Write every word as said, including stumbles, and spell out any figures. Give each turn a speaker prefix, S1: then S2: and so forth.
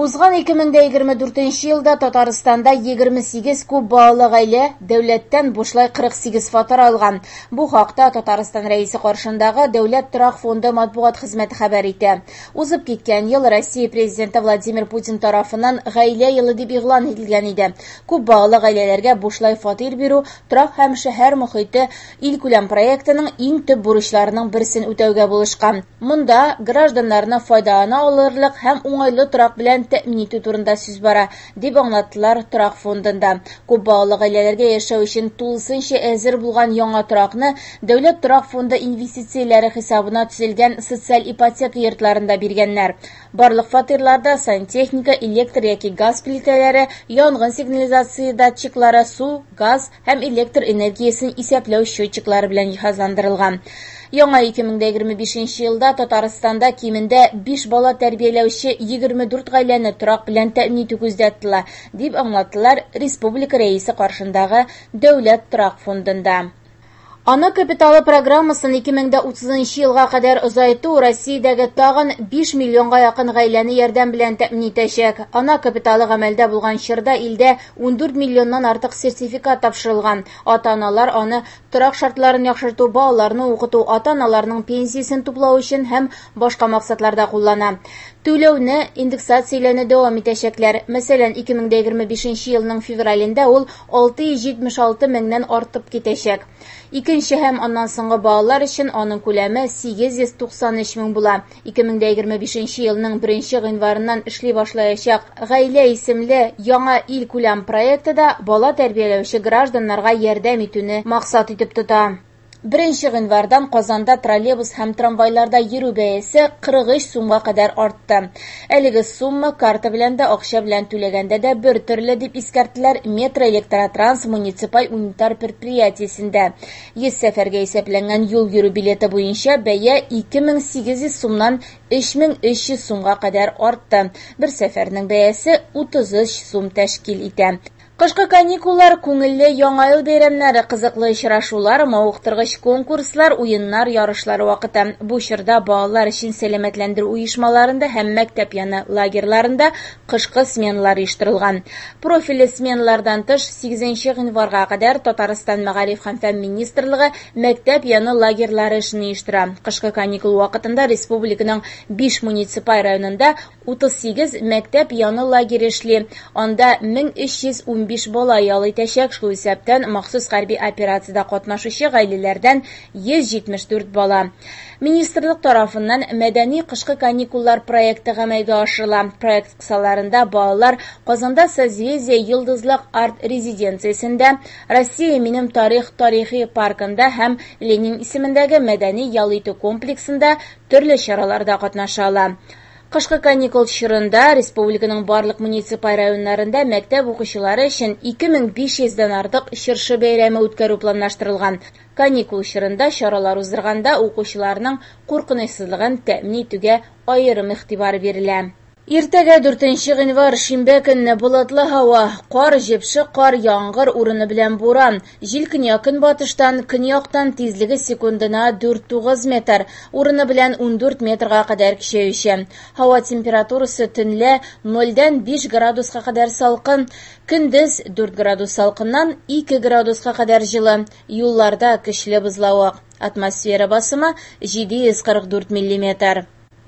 S1: Узган ике мең дә егерме дүртенче елда Татарстанда егерме сигез күп балалы гаилә дәүләттән бушлай кырык сигез фатир алган. Бу хакта Татарстан Рәисе каршындагы Дәүләт торак фонды матбугат хезмәте хәбәр итә. Узып киткән ел Россия Президенты Владимир Путин тарафыннан гаилә елы дип игълан ителгән иде. Күп балалы гаиләләргә бушлай фатир бирү торак һәм шәһәр мохите илкүләм проектының иң төп бурычларының берсен үтәүгә булышкан. Монда гражданнарны файдалана алырлык һәм уңайлы торак белән тәэмин итү турында сүз бара, дип аңлаттылар торак фондында. Күп балалы гаиләләргә яшәү өчен тулысынча әзер булган яңа торакны Дәүләт торак фонды инвестицияләре хисабына төзелгән социаль ипотека йортларында биргәннәр. Барлык фатирларда сантехника, электр яки газ плитәләре, янгын сигнализация датчиклары, су, газ һәм электр энергиясен исәпләү счетчиклары белән җиһазландырылган. Яңа ике мең дә егерме бишенче елда Татарстанда кимендә биш бала тәрбияләүче егерме дүрт гаиләне торак белән тәэмин итү күздә тотыла, дип аңлаттылар Республика Рәисе каршындагы Дәүләт торак фондында. Ана капиталы программасын ике мең дә утызынчы елга кадәр озайту Россиядәге тагын биш миллионга якын гаиләне ярдәм белән тәэмин итәчәк. Ана капиталы гамәлдә булган чорда илдә ундүрт миллионнан артык сертификат тапшырылган. Ата-аналар аны торак шартларын яхшырту, балаларны укыту, ата-аналарның пенсиясен туплау өчен һәм башка максатларда куллана. Түләүне индексацияләүне дәвам итәчәкләр. Мәсәлән, ике мең дә егерме бишенче елның февралендә ул алты йөз җитмеш алты меңнән артып китәчәк. Икенче һәм аннан соңгы балалар өчен аның күләме сигез йөз туксан өч мең була. Ике мең дә егерме бишенче елның беренче гыйнварыннан эшли башлаячак Гаилә исемле яңа ил күләм проекты да бала тәрбияләүче гражданнарга ярдәм итүне максат итеп тота. Беренче гыйнвардан Казанда троллейбус һәм трамвайларда йөрү бәясе кырык өч сумга кадәр артты. Әлеге сумма карта белән дә, акча белән түләгәндә дә бер төрле дип искәрттеләр Метро Электротранс муниципаль унитар предприятиесендә. Йөз сәфәргә исәпләнгән юл йөрү билеты буенча бәя ике мең сигез йөз сумнан өч мең өч йөз сумга кадәр артты. Бер сәфәрнең бәясе утыз өч сум тәшкил итә. Кышкы каникуллар, күңелле яңа ел бәйрәмнәре, кызыклы очрашулар, мавыктыргыч конкурслар, уеннар, ярышлар вакыты. Бу чорда балалар өчен сәламәтләндерү оешмаларында һәм мәктәп яны лагерьларында кышкы сменалар оештырылган. Профильле сменалардан тыш сигезенче гыйнварга кадәр Татарстан Мәгариф һәм фән министрлыгы мәктәп яны лагерьлары эшен оештыра. Кышкы каникул вакытында республиканың биш муниципаль районында утыз сигез мәктәп яны лагере эшли. Анда мең өч йөз унбиш бала ял итәчәк, шул исәптән махсус хәрби операциядә катнашучы гаиләләрдән йөз җитмеш дүрт бала. Министрлык тарафыннан мәдәни кышкы каникуллар проекты гамәлгә ашырыла. Проект кысаларында балалар Казанда Созвездие Йолдызлык арт-резиденциясендә, Россия минем тарих тарихи паркында һәм Ленин исемендәге мәдәни ял итү комплексында төрле чараларда катнаша ала. Кышкы каникул чорында республиканың барлык муниципаль районнарында мәктәп укучылары өчен ике мең биш йөздән артык чыршы бәйрәме үткәрү планлаштырылган. Каникул чорында чаралар уздырганда укучыларның куркынычсызлыгын тәэмин итүгә аерым игътибар бирелә. Иртәгә дүртенче гыйнвар шимбә көнне болытлы һава, кар, җепшек кар, яңгыр урыны белән буран. Җил көньяк-көнбатыштан, көньяктан тизлеге секундына дүрт тугыз метр, урыны белән ундүрт метрга кадәр көчәюче. Һава температурасы төнлә нольдән биш градуска кадәр салкын, көндез дүрт градус салкыннан ике градуска кадәр җылы. Юлларда көчле бозлавык. Атмосфера басымы җиде йөз кырык дүрт миллиметр.